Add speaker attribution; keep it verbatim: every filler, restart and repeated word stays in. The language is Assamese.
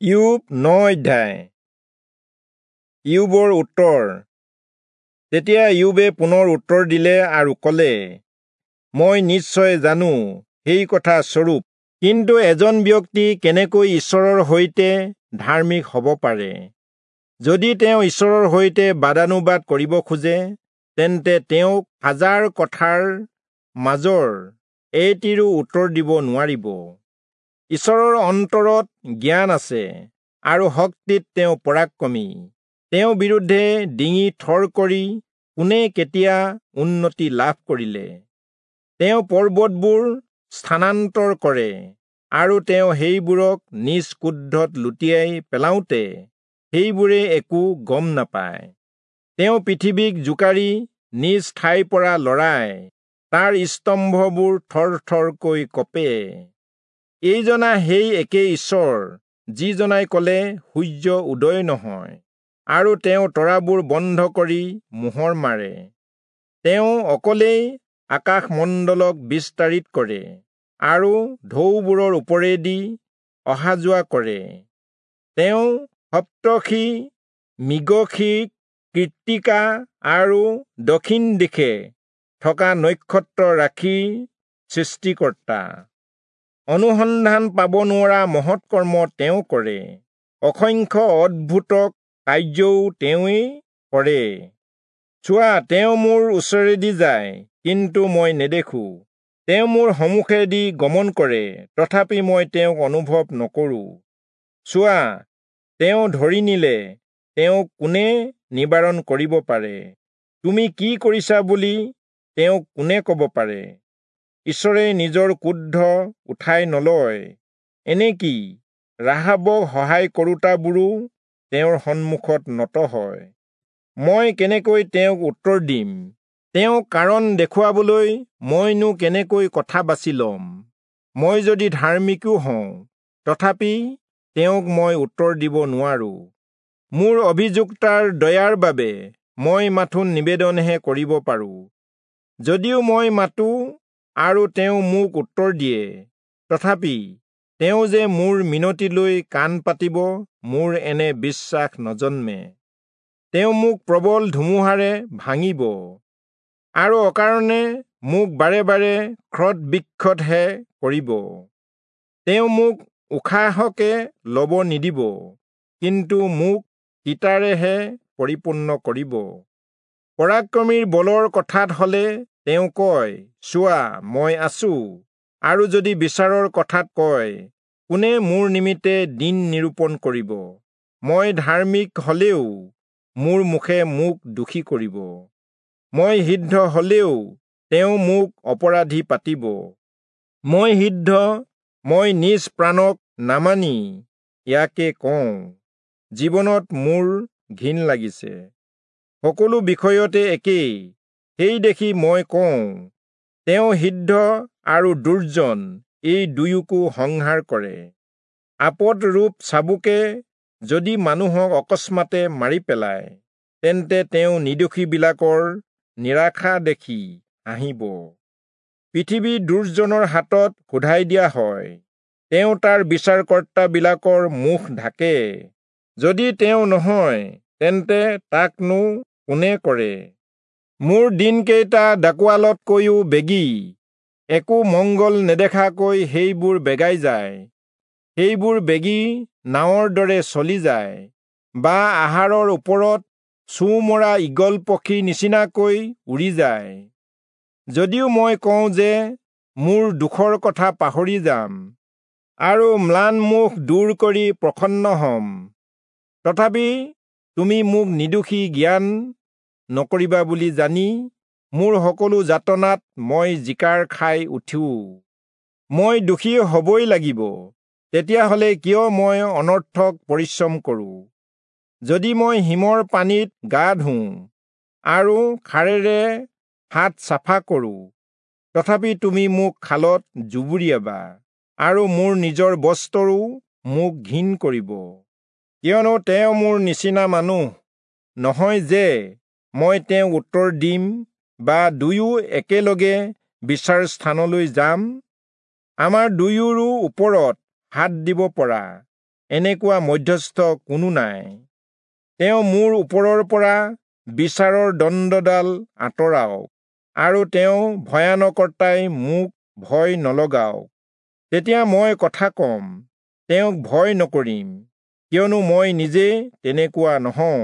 Speaker 1: ইয়োব ন অধ্যায়। ইয়োবৰ উত্তৰ। তেতিয়া ইয়োবে পুনৰ উত্তৰ দিলে আৰু কলে, মই নিশ্চয় জানো সেই কথা স্বৰূপ, কিন্তু এজন ব্যক্তি কেনেকৈ ঈশ্বৰৰ সৈতে ধাৰ্মিক হ'ব পাৰে? যদি তেওঁ ঈশ্বৰৰ সৈতে বাদানুবাদ কৰিব খোজে, তেন্তে তেওঁক হাজাৰ কথাৰ মাজৰ এটিৰো উত্তৰ দিব নোৱাৰিব। ঈশ্বৰৰ অন্তৰত জ্ঞান আছে আৰু শক্তিত তেওঁ পৰাক্ৰমী। তেওঁৰ বিৰুদ্ধে ডিঙি থৰ কৰি কোনে কেতিয়া উন্নতি লাভ কৰিলে? তেওঁ পৰ্বতবোৰ স্থানান্তৰ কৰে আৰু তেওঁ সেইবোৰক নিজ ক্ৰোধত লুটিয়াই পেলাওঁতে সেইবোৰে একো গম নাপায়। তেওঁ পৃথিৱীক জোকাৰি নিজ ঠাইৰ পৰা লৰায়, তাৰ স্তম্ভবোৰ থৰ থৰকৈ কঁপে। এইজনা সেই একেই ঈশ্বৰ, যিজনাই কলে, সূৰ্য উদয় নহয়, আৰু তেওঁ তৰাবোৰ বন্ধ কৰি মোহৰ মাৰে। তেওঁ অকলেই আকাশমণ্ডলক বিস্তাৰিত কৰে আৰু ঢৌবোৰৰ ওপৰেদি অহা যোৱা কৰে। তেওঁ সপ্তৰ্ষি, মৃগশিৰ, কৃত্তিকা আৰু দক্ষিণ দিশে থকা নক্ষত্ৰ ৰাশিৰ সৃষ্টিকৰ্তা। অনুসন্ধান পাব নোৱৰা মহৎ কৰ্ম তেওঁ কৰে, অসংখ্য অদ্ভুত কাৰ্যও তেওঁৱেই কৰে। চোৱা, তেওঁ মোৰ ওচৰেদি যায়, কিন্তু মই নেদেখো; তেওঁ মোৰ সন্মুখেদি গমন কৰে, তথাপি মই তেওঁক অনুভৱ নকৰোঁ। চোৱা, তেওঁ ধৰি নিলে, তেওঁক কোনে নিবাৰণ কৰিব পাৰে? তুমি কি কৰিছা বুলি তেওঁক কোনে কব পাৰে? ঈশ্বৰে নিজৰ ক্ৰোধ উঠাই নলয়, এনেকি ৰাহাবক সহায় কৰোঁতাবোৰো তেওঁৰ সন্মুখত নত হয়। মই কেনেকৈ তেওঁক উত্তৰ দিম? তেওঁক কাৰণ দেখুৱাবলৈ মইনো কেনেকৈ কথা বাছি লম? মই যদি ধাৰ্মিকো হওঁ, তথাপি তেওঁক মই উত্তৰ দিব নোৱাৰোঁ। মোৰ অভিযুক্তাৰ দয়াৰ বাবে মই মাথোন নিবেদনহে কৰিব পাৰোঁ। যদিও মই মাতো আৰু তেওঁ মোক উত্তৰ দিয়ে, তথাপি তেওঁ যে মোৰ মিনতিলৈ কাণ পাতিব, মোৰ এনে বিশ্বাস নজন্মে। তেওঁ মোক প্ৰবল ধুমুহাৰে ভাঙিব আৰু অকাৰণে মোক বাৰে বাৰে ক্ষত বিক্ষতহে কৰিব। তেওঁ মোক উশাহকে ল'ব নিদিব, কিন্তু মোক তিতাৰেহে পৰিপূৰ্ণ কৰিব। পৰাক্ৰমীৰ বলৰ কথাত হলে তেওঁ কয়, চোৱা, মই আছো; আৰু যদি বিচাৰৰ কথাত কয়, কোনে মোৰ নিমিত্তে দিন নিৰূপণ কৰিব? মই ধাৰ্মিক হলেও মোৰ মুখে মোক দোষী কৰিব, মই সিদ্ধ হলেও তেওঁ মোক অপৰাধী পাতিব। মই সিদ্ধ, মই নিজ প্ৰাণক নামানি ইয়াকে কওঁ, জীৱনত মোৰ ঘিণ লাগিছে। সকলো বিষয়তে একেই, সেই দেখি মই কওঁ, তেওঁ সিদ্ধ আৰু দুৰ্জন এই দুয়োকো সংহাৰ কৰে। আপদ ৰূপ চাবুকে যদি মানুহক অকস্মাতে মাৰি পেলায়, তেন্তে তেওঁ নিৰ্দোষীবিলাকৰ নিৰাশা দেখি হাঁহিব। পৃথিৱী দুৰ্জনৰ হাতত শোধাই দিয়া হয়, তেওঁ তাৰ বিচাৰকৰ্তাবিলাকৰ মুখ ঢাকে। যদি তেওঁ নহয়, তেন্তে তাকনো কোনে কৰে? মোৰ দিনকেইটা ডাকোৱালতকৈও বেগী, একো মংগল নেদেখাকৈ সেইবোৰ বেগাই যায়। সেইবোৰ বেগী নাৱৰ দৰে চলি যায়, বা আহাৰৰ ওপৰত চোঁ মৰা ঈগল পক্ষীৰ নিচিনাকৈ উৰি যায়। যদিও মই কওঁ যে মোৰ দুখৰ কথা পাহৰি যাম আৰু ম্লান মুখ দূৰ কৰি প্ৰসন্ন হম, তথাপি তুমি মোক নিৰ্দোষী জ্ঞান নকৰিবা বুলি জানি মোৰ সকলো যাতনাত মই জিকাৰ খাই উঠো। মই দোষী হবই লাগিব, তেতিয়াহলে কিয় মই অনৰ্থক পৰিশ্ৰম কৰোঁ? যদি মই হিমৰ পানীত গা ধুওঁ আৰু খাৰেৰে হাত চাফা কৰোঁ, তথাপি তুমি মোক খালত জুবুৰিয়াবা আৰু মোৰ নিজৰ বস্ত্ৰৰো মোক ঘিণ কৰিব। কিয়নো তেওঁ মোৰ নিচিনা মানুহ নহয় যে মই তেওঁক উত্তৰ দিম বা দুয়ো একেলগে বিচাৰ স্থানলৈ যাম। আমাৰ দুয়োৰো ওপৰত হাত দিব পৰা এনেকুৱা মধ্যস্থ কোনো নাই। তেওঁ মোৰ ওপৰৰ পৰা বিচাৰৰ দণ্ডডাল আঁতৰাওক, আৰু তেওঁ ভয়ানকৰ্তাই মোক ভয় নলগাওক। তেতিয়া মই কথা কম, তেওঁক ভয় নকৰিম, কিয়নো মই নিজে তেনেকুৱা নহওঁ।